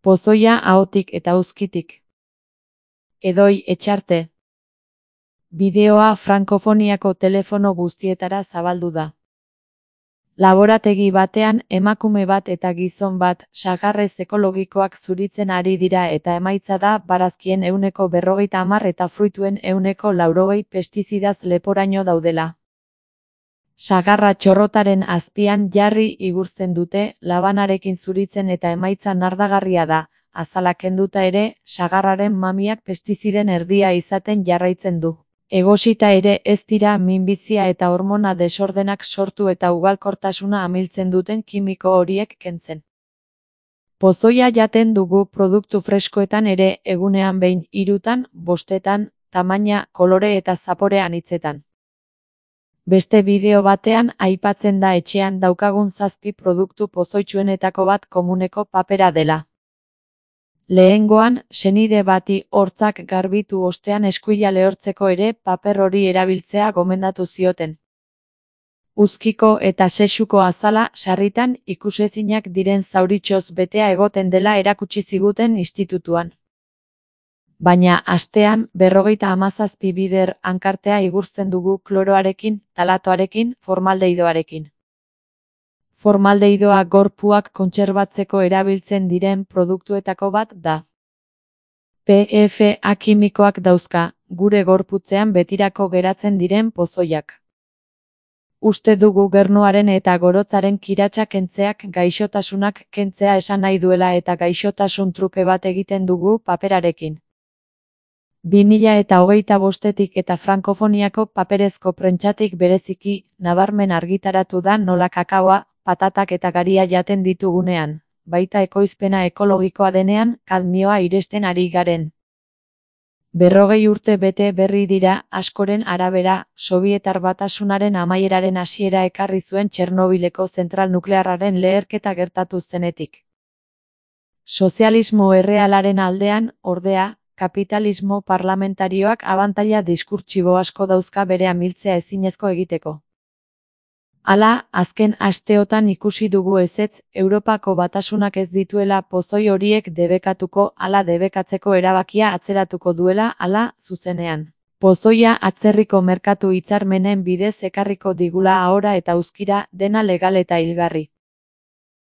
Pozoia ahotik eta uzkitik. Edoi Etxarte. Bideoa Frankofoniako telefono guztietara zabaldu da. Laborategi batean emakume bat eta gizon bat sagarrez ekologikoak zuritzen ari dira eta emaitza da barazkien 50% eta fruituen 80% pestizidaz leporaino daudela. Sagarra txorrotaren azpian jarri igurtzen dute, labanarekin zuritzen eta emaitza nardagarria da, azala kenduta ere, sagarraren mamiak pestiziden erdia izaten jarraitzen du. Egosita ere ez dira minbizia eta hormona desordenak sortu eta ugalkortasuna amiltzen duten kimiko horiek kentzen. Pozoia jaten dugu produktu freskoetan ere egunean behin 3, 5, tamaina, kolore eta zapore anitzetan. Beste bideo batean aipatzen da etxean daukagun 7 produktu pozoitsuenetako bat komuneko papera dela. Lehengoan, senide bati hortzak garbitu ostean eskuila lehortzeko ere paper hori erabiltzea gomendatu zioten. Uzkiko eta sexuko azala sarritan ikusezinak diren zauritxoz betea egoten dela erakutsi ziguten institutuan. Baina astean 57 bider hankartea igurtzen dugu kloroarekin, talatoarekin, formaldehdoarekin. Formaldehdoa gorpuak kontserbatzeko erabiltzen diren produktuetako bat da. PFA kimikoak dauzka, gure gorputzean betirako geratzen diren pozoiak. Uste dugu gernuaren eta gorotzaren kiratsa kentzeak gaixotasunak kentzea esan nahi duela eta gaixotasun truke bat egiten dugu paperarekin. 2025-etik eta Frankofoniako paperezko prentsatik bereziki, nabarmen argitaratu da nola kakaoa, patatak eta garia jaten ditugunean, baita ekoizpena ekologikoa denean, kadmioa iresten ari garen. 40 urte bete berri dira, askoren arabera, Sobietar Batasunaren amaieraren hasiera ekarri zuen Txernobileko zentral nuklearraren leherketa gertatu zenetik. Sozialismo errealaren aldean, ordea, kapitalismo parlamentarioak abantaila diskurtsibo asko dauzka bere amiltzea ezinezko egiteko. Hala, azken asteotan ikusi dugu ezetz, Europako Batasunak ez dituela pozoi horiek debekatuko, hala debekatzeko erabakia atzeratuko duela, hala, zuzenean. Pozoia atzerriko merkatu hitzarmenen bidez ekarriko digula ahora eta uzkira, dena legal eta hilgarri.